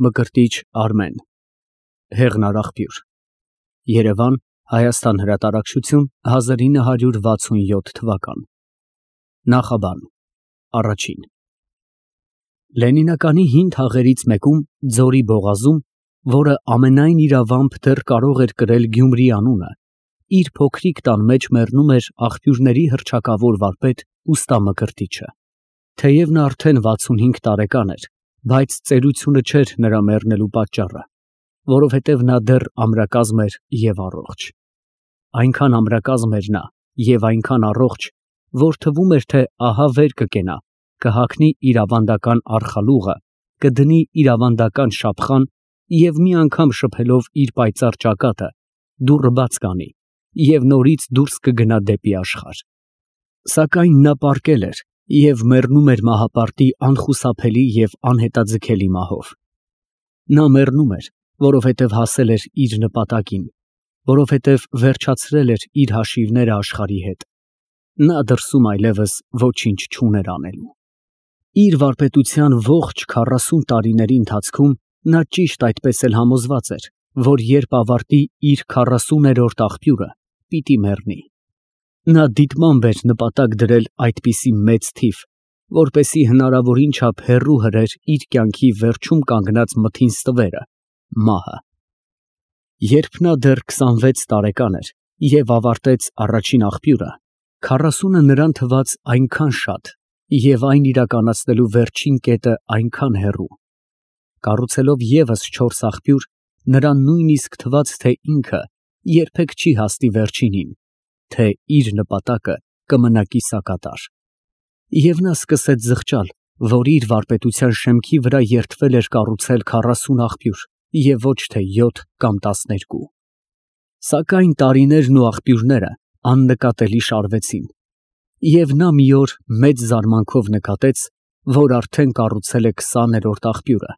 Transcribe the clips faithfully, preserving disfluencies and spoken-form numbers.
Մկրտիչ Արմեն Հեղնար աղբյուր Երևան Հայաստան հրատարակչություն հազար ինը հարյուր վաթսունյոթ թվական Նախաբան Առաջին Լենինականի հին թաղերից մեկում Ձորի բողազում, որը ամենայն իրավամբ դեռ կարող էր կրել Գյումրի անունը, իր փոքրիկ տան մեջ մեռնում էր աղբյուրների հռչակավոր վարպետ ուստա Մկրտիչը։ Թեև նա արդեն վաթսունհինգ տարեկան էր, բայց ծերությունը չէր նրա մեռնելու պատճառը, որովհետև նա դեռ ամրակազմ էր և առողջ։ Այնքան ամրակազմ էր նա և այնքան առողջ, որ թվում էր, թե ահա վեր կկենա, կհագնի իր ավանդական արխալուղը, կդնի իր ավանդական շապխան և մի անգամ շփելով իր պայծառ ճակատը, դուռը բաց կանի և նորից դուրս կգնա դեպի աշխարհ։ Սակայն նա պառկել էր և մեռնում էր մահապարտի անխուսափելի և անհետաձգելի մահով։ Նա մեռնում էր, որովհետև հասել էր իր նպատակին, որովհետև վերջացրել էր իր հաշիվները աշխարհի հետ։ Նա դրսում այլևս ոչինչ չուներ անելու։ Իր վարպետության ողջ քառասուն տարիների ընթացքում նա ճիշտ այդպես էլ համոզված էր, որ երբ ավարտի իր քառասուներորդ աղբյուրը, պիտի մեռնի։ Նա դիտմամբ էր նպատակ դրել այդպիսի մեծ թիվ, որպեսզի հնարավորին չափ հեռու հրեր իր կյանքի վերջում կանգնած մթին ստվերը՝ մահը։ Երբ նա դեռ քսանվեց տարեկան էր և ավարտեց առաջին աղբյուրը, քառասունը նրան թվաց այնքան շատ և այն իրականացնելու վերջին կետը այնքան հեռու։ Կառուցելով ևս չորս աղբյուր, նրան նույնիսկ թվաց, թե ինքը երբեք չի հասնի վերջինին, թե իր նպատակը կմնա կիսակատար։ Եվ նա սկսեց զղջալ, որ իր վարպետության շեմքի վրա երդվել էր կառուցել քառասուն աղբյուր և ոչ թե յոթ կամ տասներկու։ Սակայն տարիներն ու աղբյուրները աննկատելի շարվեցին, և նա մի օր մեծ զարմանքով նկատեց, որ արդեն կառուցել է քսաներորդ աղբյուրը,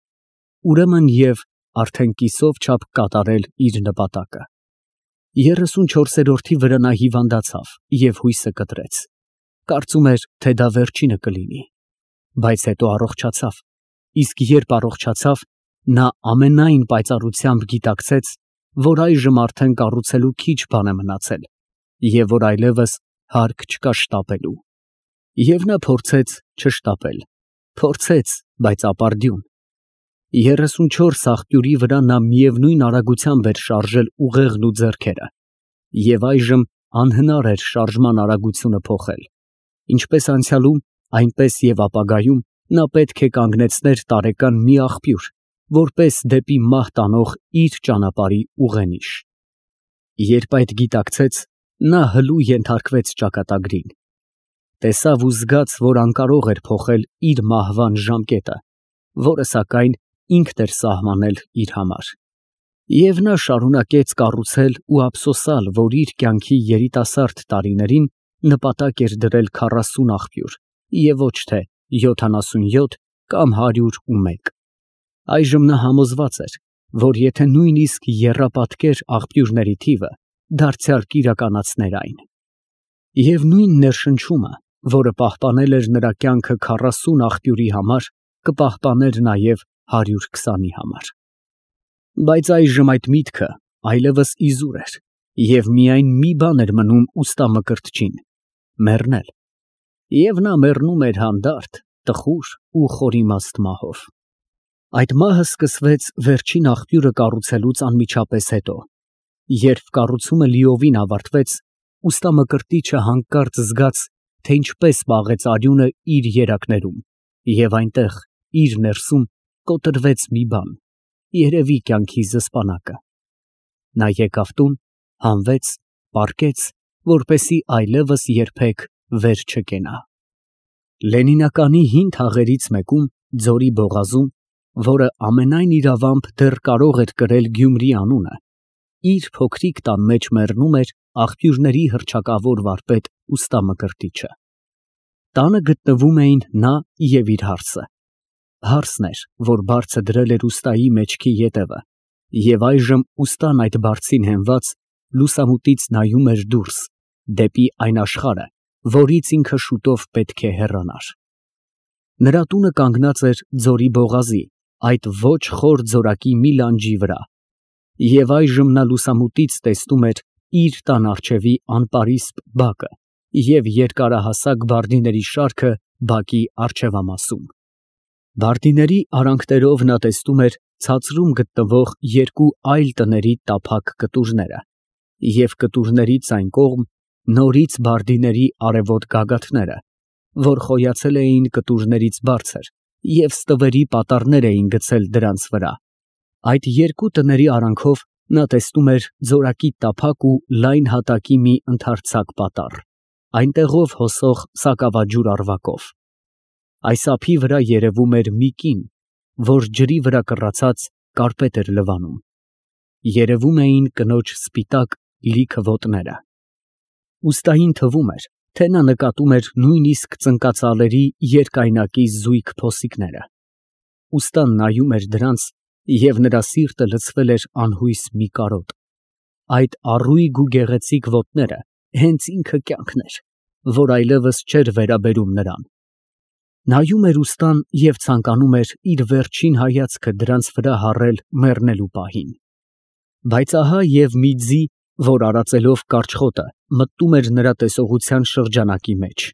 ուրեմն և արդեն կիսով չափ կատարել իր նպատակը։ Երեսունչորսերորդի վրա նա հիվանդացավ և հույսը կտրեց, կարծում էր, թե դա վերջինը կլինի, բայց հետո առողջացավ, իսկ երբ առողջացավ, նա ամենայն պայծառությամբ գիտակցեց, որ այժմ արդեն կառուցելու քիչ բան է մնացել և որ այլևս հարկ չկա շտապելու։ Եվ նա փորձեց չշտապել, փորձեց, բայց ապարդյուն։ Երեսունչորս աղբյուրի վրա նա միևնույն արագությամբ էր շարժել ուղեղն ու ձեռքերը, և այժմ անհնար էր շարժման արագությունը փոխել։ Ինչպես անցյալում, այնպես և ապագայում նա պետք է կանգնեցներ տարեկան մի աղբյուր, որպես դեպի մահ տանող իր ճանապարհի ուղենիշ։ Երբ այդ գիտակցեց, նա հլու ենթարկվեց ճակատագրին։ Տեսավ ու զգաց, որ անկարող էր փոխել իր մահվան ժամկետը, որը սակայն ինքն էր սահմանել իր համար։ Եվ նա շարունակեց կառուցել ու ափսոսալ, որ իր կյանքի երիտասարդ տարիներին նպատակ էր դրել քառասուն աղբյուր և ոչ թե յոթանասունյոթ կամ հարյուր ու մեկ։ Այժմ նա համոզված էր, որ եթե նույնիսկ եռապատկեր աղբյուրների թիվը, դարձյալ կիրականացներ այն։ Եվ նույն ներշնչումը, որը պահպանել էր նրա կյանքը քառասուն աղբյուրի համար, կպահպաներ նաև հարյուր քսանի համար։ Բայց այժմ այդ միտքը այլևս իզուր էր, և միայն մի բան էր մնում ուստա Մկրտչին՝ մեռնել։ Եվ նա մեռնում էր հանդարտ, տխուր ու խորիմաստ մահով։ Այդ մահը սկսվեց վերջին աղբյուրը կառուցելուց անմիջապես հետո։ Երբ կառուցումը լիովին ավարտվեց, ուստա Մկրտիչը հանկարծ զգաց, թե ինչպես պաղեց արյունը իր երակներում, և այնտեղ, իր ներսում, կոտրվեց մի բան, երևի կյանքի զսպանակը։ Նա եկավ տուն, հանվեց, պառկեց, որպեսզի այլևս երբեք վեր չկենա։ Լենինականի հին թաղերից մեկում Ձորի բողազում, որը ամենայն իրավամբ դեռ կարող էր կրել Գյումրի անունը, իր փոքրիկ տան մեջ մեռնում էր աղբյուրների հռչակավոր վարպետ ուստա Մկրտիչը։ Տանը գտնվում էին նա և իր հարսը։ Հարսն էր, որ բարձը դրել էր ուստայի մեջքի ետևը, և այժմ ուստան այդ բարձին հենված, լուսամուտից նայում էր դուրս, դեպի այն աշխարհը, որից ինքը շուտով պետք է հեռանար։ Նրա տունը կանգնած էր Ձորի բողազի, այդ ոչ խոր ձորակի մի լանջի վրա, և այժմ նա լուսամուտից տեսնում էր իր տան առջևի անպարիսպ բակը և երկարահասակ բարդիների շարքը բակի առջևամասում։ Բարդիների արանքներով նա տեսնում էր ցածրում գտնվող երկու այլ տների տափակ կտուրները և կտուրներից այն կողմ նորից բարդիների արևոտ գագաթները, որ խոյացել էին կտուրներից բարձր և ստվերի պատառներ էին գցել դրանց վրա։ Այդ երկու տների արանքով նա տեսնում էր ձորակի տափակ ու լայն հատակի մի ընդարձակ պատառ, այնտեղով հոսող սակավաջուր առվակով։ Այս ափի վրա երևում էր մի կին, որ ջրի վրա կռացած կարպետ էր լվանում։ Երևում էին կնոջ սպիտակ լիքը ոտները։ Ուստային թվում էր, թե նա նկատում էր նույնիսկ ծնկածալերի երկայնակի զույգ փոսիկները։ Ուստան նայում էր դրանց, և նրա սիրտը լցվել էր անհույս մի կարոտ։ Այդ առույգ ու գեղեցիկ ոտները հենց ինքը կյանքն էր, որ այլևս չէր վերաբերում նրան։ Նայում էր ուստան և ցանկանում էր իր վերջին հայացքը դրանց վրա հառել մեռնելու պահին։ Բայց ահա և մի ձի, որ արածելով կարճ խոտը մտնում էր նրա տեսողության շրջանակի մեջ։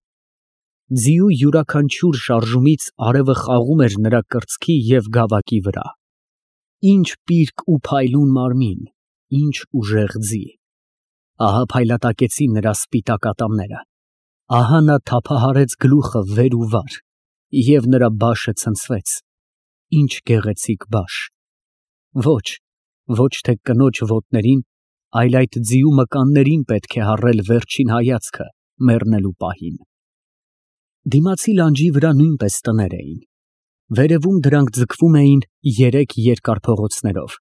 Ձիու յուրաքանչյուր շարժումից արևը խաղում էր նրա կրծքի և գավակի վրա։ Ինչ պիրկ ու փայլուն մարմին, ինչ ուժեղ ձի։ Ահա փայլատակեցին նրա սպիտակ ատամները, ահա նա թափահարեց գլուխը վեր ու վար, և նրա բաշը ցնցվեց։ Ինչ գեղեցիկ բաշ։ Ոչ, ոչ թե կնոջ ոտներին, այլ այդ ձիու մկաններին պետք է հառել վերջին հայացքը մեռնելու պահին։ Դիմացի լանջի վրա նույնպես տներ էին։ Վերևում դրանք ձգվում էին երեք երկար փողոցներով,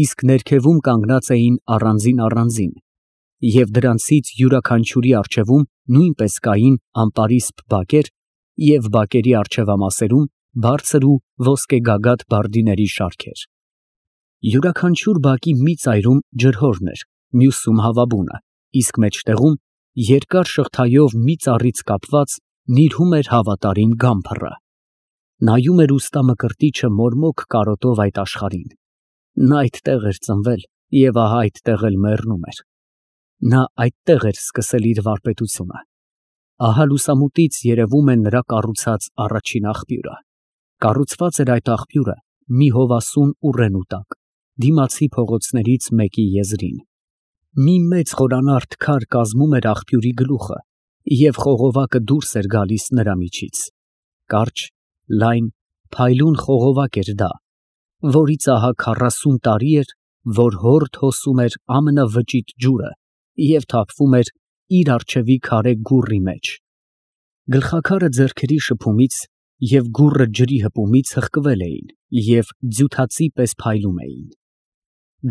իսկ ներքևում կանգնած էին առանձին֊առանձին, և դրանցից յուրաքանչյուրի առջևում նույնպես կային անպարիսպ բակեր և բակերի առջևամասերում բարձր ու ոսկեգագաթ բարդիների շարքեր։ Յուրաքանչյուր բակի մի ծայրում ջրհորն էր, մյուսում հավաբունը, իսկ մեջտեղում երկար շղթայով մի ծառից կապված նիրհում էր հավատարիմ գամբռը։ Նայում էր ուստա Մկրտիչը մորմոք կարոտով այդ աշխարհին։ Նա այդտեղ էր ծնվել և ահա այդտեղ էլ մեռնում էր։ Նա այդտեղ էր սկսել իր վարպետությունը։ Ահա լուսամուտից երևում է նրա կառուցած առաջին աղբյուրը։ Կառուցված էր այդ աղբյուրը մի հովասուն ուռենու տակ, դիմացի փողոցներից մեկի եզրին։ Մի մեծ խորանարդ քար կազմում էր աղբյուրի գլուխը, և խողովակը դուրս էր գալիս նրա միջից։ Կարճ, լայն, փայլուն խողովակ էր դա, որից ահա քառասուն տարի էր, որ հորդ հոսում էր ամենավճիտ ջուրը և թափվում էր իր առջևի քարե գուռի մեջ։ Գլխաքարը ձեռքերի շփումից և գուռը ջրի հպումից հղկվել էին և ձյութածի պես փայլում էին։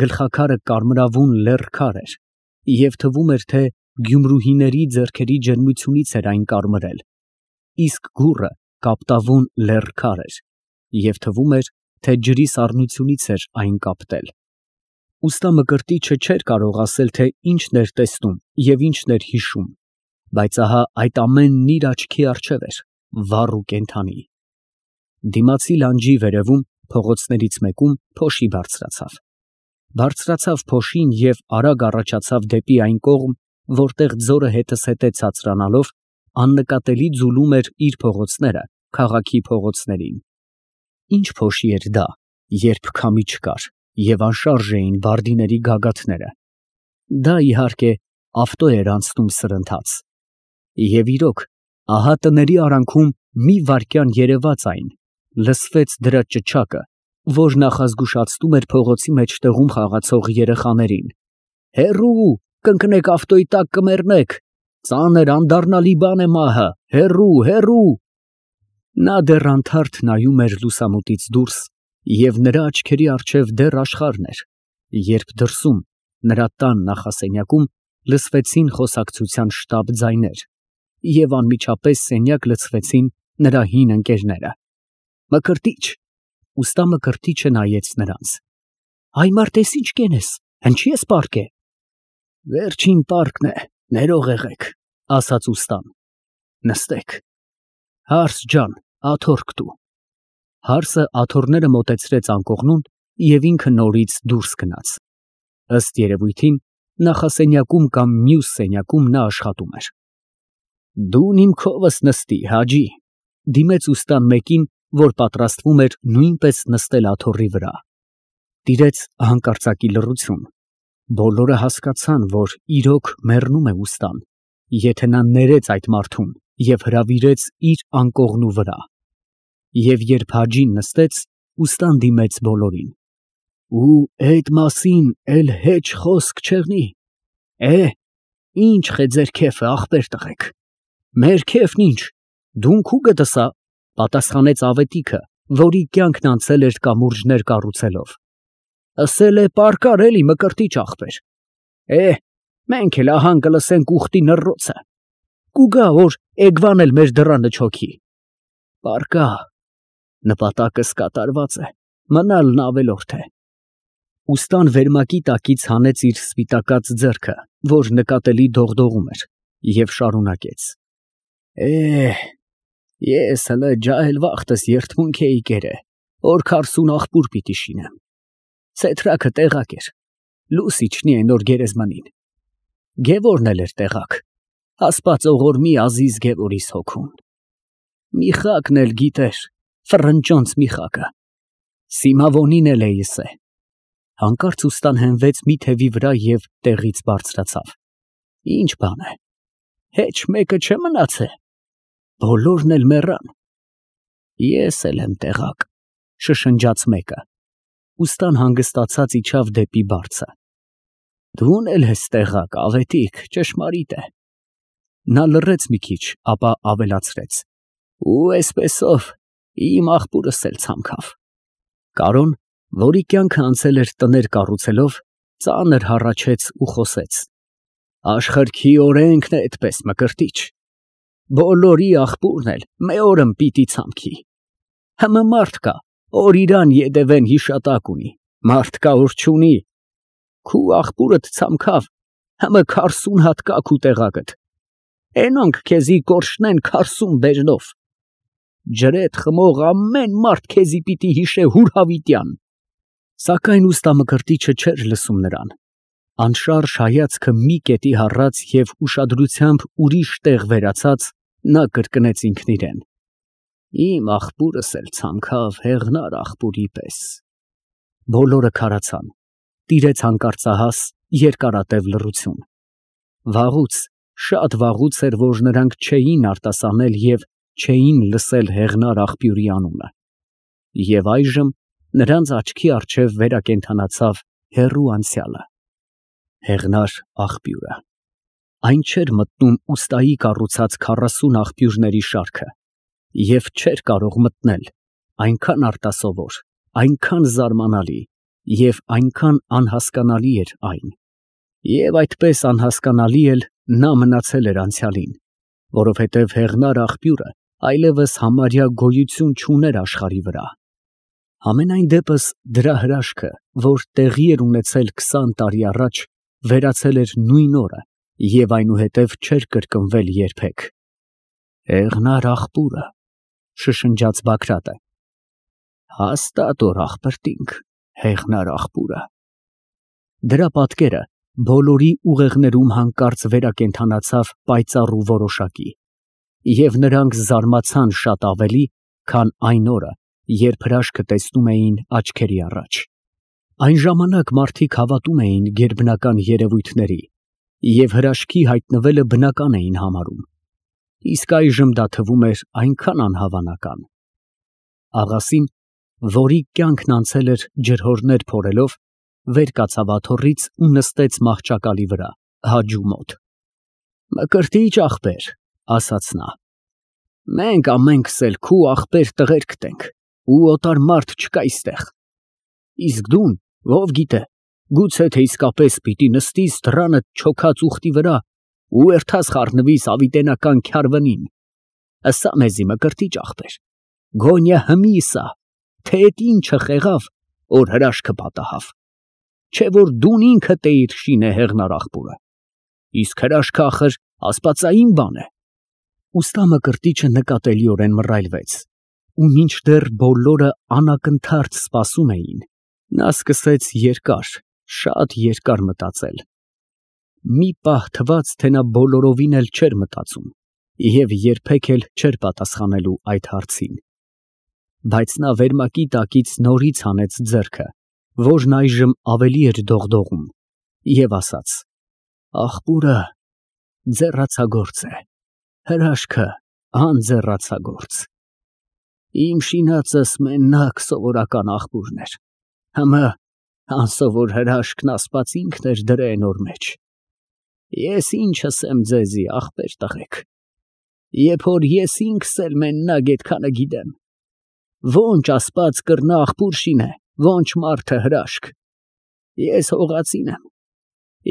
Գլխաքարը կարմրավուն լեռ քար էր, և թվում էր, թե գյումրուհիների ձեռքերի ջերմությունից էր այն կարմրել, իսկ գուռը կապտավուն լեռ քար էր, և թվում էր, թե ջրի սառնությունից էր այն կապտել։ Ուստա Մկրտիչը չէր կարող ասել, թե ինչն էր տեսնում և ինչն էր հիշում, բայց ահա այդ ամենն իր աչքի առջև էր, վառ ու կենդանի։ Դիմացի լանջի վերևում, փողոցներից մեկում, փոշի բարձրացավ։ Բարձրացավ փոշին և արագ առաջացավ դեպի այն կողմ, որտեղ ձորը հետզհետե ցածրանալով աննկատելի ձուլում էր իր փողոցները քաղաքի փողոցներին։ Ինչ փոշի էր դա, երբ քամի չկար և անշարժ էին բարդիների գագաթները։ Դա, իհարկե, ավտո էր անցնում սրընթաց։ Եվ իրոք, ահա տների արանքում մի վայրկյան երևաց այն, լսվեց դրա ճչակը, որ նախազգուշացնում էր փողոցի մեջտեղում խաղացող երեխաներին. «Հեռո՜ւ, կընկնեք ավտոյի տակ կմեռնեք, ծանր անդառնալի բան է մահը, հեռո՜ւ, հեռո՜ւ»։ Նա դեռ անթարթ նայում էր լուսամուտից դուրս, և նրա աչքերի առջև դեռ աշխարհն էր, երբ դրսում, նրա տան նախասենյակում, լսվեցին խոսակցության շտապ ձայներ, և անմիջապես սենյակ լցվեցին նրա հին ընկերները։ «Մկրտիչ»։ Ուստա Մկրտիչը նայեց նրանց։ «Այ մարդ, էս ինչ կենես, հնչի՞ ես պառկե»։ «Վերջին պառկն է, ներող եղեք», ասաց ուստան։ «Նստեք»։ «Հարս ջան, աթոռք տու»։ Հարսը աթոռները մոտեցրեց անկողնուն և ինքը նորից դուրս գնաց։ Ըստ երևույթին, նախասենյակում կամ մյուս սենյակում նա աշխատում էր։ Դուն իմ քովս նստի, Հաջի, դիմեց ուստան մեկին, որ պատրաստվում էր նույնպես նստել աթոռի վրա։ Տիրեց հանկարծակի լռություն։ Բոլորը հասկացան, որ իրոք մեռնում է ուստան, եթե նա ներեց այդ մարդուն և հրավիրեց իր անկողնու վրա։ Եվ երբ Հաջին նստեց, ուստան դիմեց բոլորին. Ու էդ մասին էլ հեչ խոսք չեղնի։ Է, ինչ է ձեր քեֆը, ախպեր տղեկ։ Մեր քեֆն ինչ, դուն քու գտսա, պատասխանեց ավետիքը, որի կյանքն անցել էր կամուրջներ կառուցելով։ Ասել է պարկար էլի մկրտիչ ախպեր։ Է, մենք էլ ահան կլսենք ուխտի նռոցը։ Կուգա, որ էգվան էլ մեր դռանը չոքի։ Պարկա, նպատակս կատարված է, մնալն ավելորդ է։ Ուստան վերմակի տակից հանեց իր սպիտակած ձեռքը, որ նկատելի դողդողում էր, և շարունակեց. Է, ես հլը ջահել վախտս երդմունք էի կերը, որ քարսուն աղբուր պիտի շինեմ։ Ցեթրակը տեղակ էր, լուսիչնի է նոր գերեզմանին։ Գևորն էլ էր տեղակ, ասպաց օղորմի ազիզ Գևորիս հոգուն։ Միխակն էլ գիտեր, ֆռնճոնց Միխակը, Սիմավոնին էլ էիս է։ Հանկարծ ուստան հենվեց մի թևի վրա և տեղից բարձրացավ։ Ինչ բան է, հեչ մեկը չէ մնացե։ Բոլորն էլ մեռան։ Ես էլ եմ տեղակ, շշնջաց մեկը։ Ուստան հանգստացած իջավ դեպի բարձը։ Դուն էլ ես տեղակ, ավետիք, ճշմարիտ է։ Նա լռեց մի քիչ, ապա ավելացրեց. Ու էսպեսով իմ աղբուրս էլ ցամքավ։ Կարոն, որի կյանքը անցել էր տներ կառուցելով, ծանր հառաչեց ու խոսեց. Աշխարհքի օրենքն է այդպես, մկրտիչ։ Բոլորի աղբուրն էլ մեօրըմ պիտի ցամքի։ Հմը մարդ կա, որ իրան ետևեն հիշատակ ունի, մարդ կա, որ չունի։ Քու աղբուրդ ցամքավ, հմը քարսուն հատ կա քու տեղակդ։ Էնոնք քեզի կորշնեն քարսուն բերնով։ Ջրեդ խմող ամեն մարդ քեզի պիտի հիշե հուր հավիտյան։ Սակայն ուստա մկրտիչը չէր լսում նրան։ Անշարժ հայացքը մի կետի հառած և ուշադրությամբ ուրիշ տեղ վերացած, նա կրկնեց ինքն իրեն. Իմ աղբուրս էլ ցամքավ հեղնար աղբուրի պես։ Բոլորը քարացան։ Տիրեց հանկարծահաս, երկարատև լռություն։ Վաղուց, շատ վաղուց էր, որ նրանք չէին արտասանել և չէին լսել հեղնար աղբյուրի անունը։ Եվ այժմ նրանց աչքի առջև վերակենդանացավ հեռու անցյալը։ Հեղնար աղբյուրը։ Այն չէր մտնում ուստայի կառուցած քառասուն աղբյուրների շարքը և չէր կարող մտնել, այնքան արտասովոր, այնքան զարմանալի և այնքան անհասկանալի էր այն։ Եվ այդպես անհասկանալի էլ նա մնացել էր անցյալին, որովհետև հեղնար աղբյուրը այլևս համարյա գոյություն չուներ աշխարհի վրա։ Համենայն դեպս դրա հրաշքը, որ տեղի էր ունեցել քսան տարի առաջ, վերացել էր նույն օրը և այնուհետև չէր կրկնվել երբեք։ Հեղնար աղբուրը, շշնջաց Բագրատը։ Հաստատ որ աղբրտինք, հեղնար աղբուրը։ Դրա պատկերը բոլորի ուղեղներում հանկարծ վերակենդանացավ պայծառ ու որոշակի, և նրանք զարմացան շատ ավելի, քան այն օրը, երբ հրաշքը տեսնում էին աչքերի առաջ։ Այն ժամանակ մարդիկ հավատում էին գերբնական երևույթների և հրաշքի հայտնվելը բնական էին համարում, իսկ այժմ դա թվում էր այնքան անհավանական։ Աղասին, որի կյանքն անցել էր ջրհորներ փորելով, վեր կացավ աթոռից ու նստեց մահճակալի վրա, Հաջու մոտ։ Մկրտիչ ախպեր, ասաց նա, մենք ամենքս էլ քու ախպեր տղերքդ ենք, ու օտար մարդ չկա այստեղ։ Իսկ դուն, ով գիտե, գուցե թե իսկապես պիտի նստիս դռանդ չոքած ուխտի վրա ու էրթաս խառնվիս հավիտենական քյարվնին։ Ասա մեզի, մկրտիչ ախպեր, գոնյա հմի սա, թե էդ ինչը խեղավ, որ հրաշքը պատահավ։ Չէ որ դուն ինքդ էիր շինե հեղնար աղբուրը, իսկ հրաշքը ախր աստվածային բան է։ Ուստա մկրտիչը նկատելիորեն մռայլվեց, ու մինչդեռ բոլորը անակնթարթ սպասում էին, նա սկսեց երկար, շատ երկար մտածել։ Մի պահ թվաց, թե նա բոլորովին էլ չէր մտածում և երբեք էլ չէր պատասխանելու այդ հարցին։ Բայց նա վերմակի տակից նորից հանեց ձեռքը, որն այժմ ավելի էր դողդողում, և ասաց. «Աղբուրը ձեռացագործ է, հրաշքը անձեռացագործ։ Իմ շինածս մենակ սովորական աղբուրն էր, հըմը անսովոր հրաշքն ասպաց ինքն էր դրե նոր մեջ։ Ես ինչ ասեմ ձեզի, աղբեր տղեկ, երբ որ ես ինքս էլ մենակ էդքանը գիտեմ, ո՞նչ ասպաց կրնա աղբուր շինե, ո՞նչ մարդը հրաշք։ Ես հողածին եմ,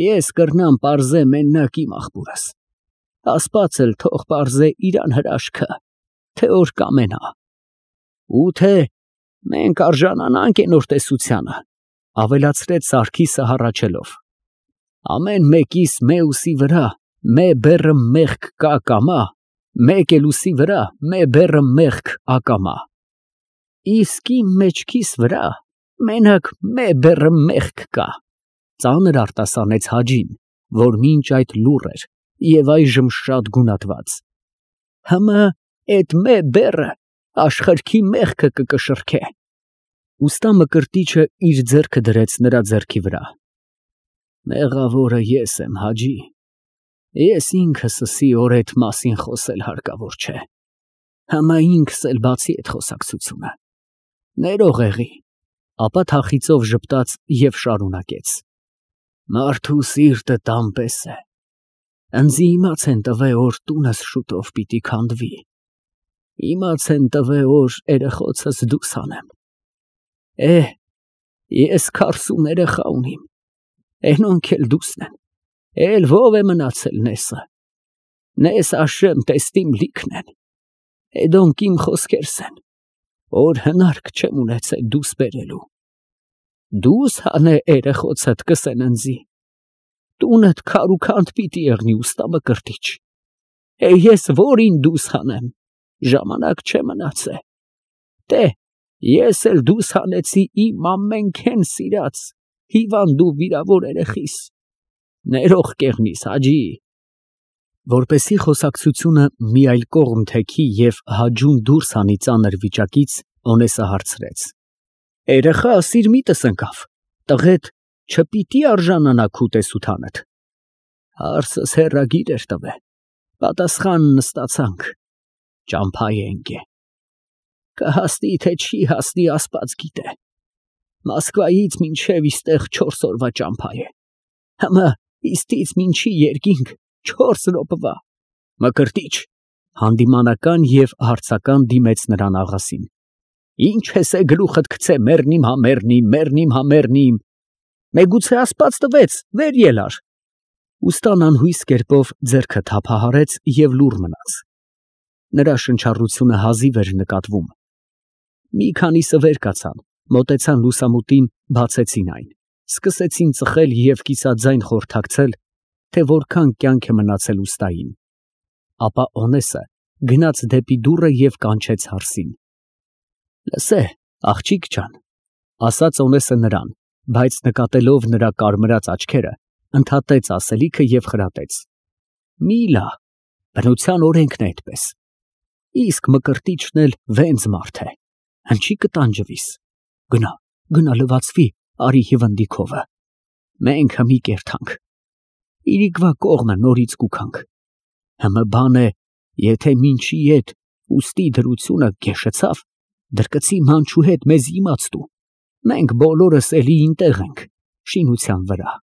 ես կրնամ պարզե մենակ իմ աղբուրս, ասպաց էլ թող պարզե իրան հրաշքը, թե որ կամենա, ու թե մենք արժանանանք էնոր տեսությանը, ավելացրեց Սարգիսը հառաչելով, ամեն մեկիս մեուսի վրա մե բեռը մեղք կա կամա, մեկ էլ ուսի վրա մե բեռը մեղք ակամա, իսկ իմ մեջքիս վրա մենակ մե բեռը մեղք կա, ծանր արտասանեց Հաջին, որ մինչ այդ լուռ էր և այժմ շատ գունատված, հըմը էդ մե բեռը աշխարհքի մեղքը կկշռքե։ Ուստա Մկրտիչը իր ձեռքը դրեց նրա ձեռքի վրա։ Մեղավորը ես եմ, Հաջի, ես ինքս ասի որ էդ մասին խոսել հարկավոր չէ, հըմը ինքս էլ բացի էդ խոսակցությունը, ներող եղի, ապա թախիծով ժպտաց և շարունակեց. մարդու սիրտը տան պես է, ընձի իմաց են տվե որ տունս շուտով պիտի քանդվի, իմաց են տվե որ երեխոցս դուս հանեմ, է, ես քառսուն երեխա ունիմ, էնոնք էլ դուսն են, էլ ով է մնացել նեսը, նես աշեմ տեստիմ լիքն են, էդոնք իմ խոսքերս են, որ հնարք չեմ ունեցել դուս բերելու, դուս հանե երեխոցդ կսեն ընձի, տունդ քար ու քանդ պիտի եղնի ուստա Մկրտիչ, է ես որին դուս հանեմ, ժամանակ չէ մնացե, տե, ես էլ դուս հանեցի իմ ամենքեն սիրած, հիվանդ ու վիրավոր երեխիս, ներող կեղնիս, Հաջի։ Որպեսզի խոսակցությունը մի այլ կողմ թեքի և Հաջուն դուրս հանի ծանր վիճակից, Օնեսը հարցրեց. երեխա սիրմիտս ընկավ, տղեդ չպիտի արժանանա քու տեսութանդ։ Հարցս հեռագիր էր տվե, պատասխանն ստացանք, ճամփա է ընկե։ Կհասնի թե չի հասնի Աստված գիտե, Մոսկվայից մինչև իստեղ չորս օրվա ճամփա է, հըմը իստից մինչի երկինք չորս րոպվա։ Մկրտիչ, հանդիմանական և հարցական դիմեց նրան աղասին, ինչ ես է գլուխդ գցե մեռնիմ հա մեռնիմ, մեռնիմ հա մեռնիմ, մեգուցե ասպաց տվեց, վեր ելար։ Ուստան անհույս կերպով ձեռքը թափահարեց և լուռ մնաց։ Նրա շնչառությունը հազիվ էր նկատվում։ Մի քանիսը վեր կացան, մոտեցան լուսամուտին, բացեցին այն, սկսեցին ծխել և կիսաձայն խորհրդակցել, թե որքան կյանք է մնացել ուստային։ Ապա Օնեսը գնաց դեպի դուռը և կանչեց հարսին։ Լսե, աղջիկ ջան, ասաց Օնեսը նրան, բայց նկատելով նրա կարմրած աչքերը, ընդհատեց ասելիքը և խրատեց. մի լա, բնության օրենքն է այդպես, իսկ Մկրտիչն էլ վենց մարդ է, հնչի կտանջվիս, գնա, գնա լվացվի, արի հիվնդի քովը, մենք հմի կերթանք, իրիկվա կողմը նորից կուքանք, հմը բան է, եթե մինչի ետ ուստի դրությունը գեշեցավ, դրկցի մանչու հետ մեզ իմաց տու, մենք բոլորս էլի ինտեղ ենք, շինության վրա։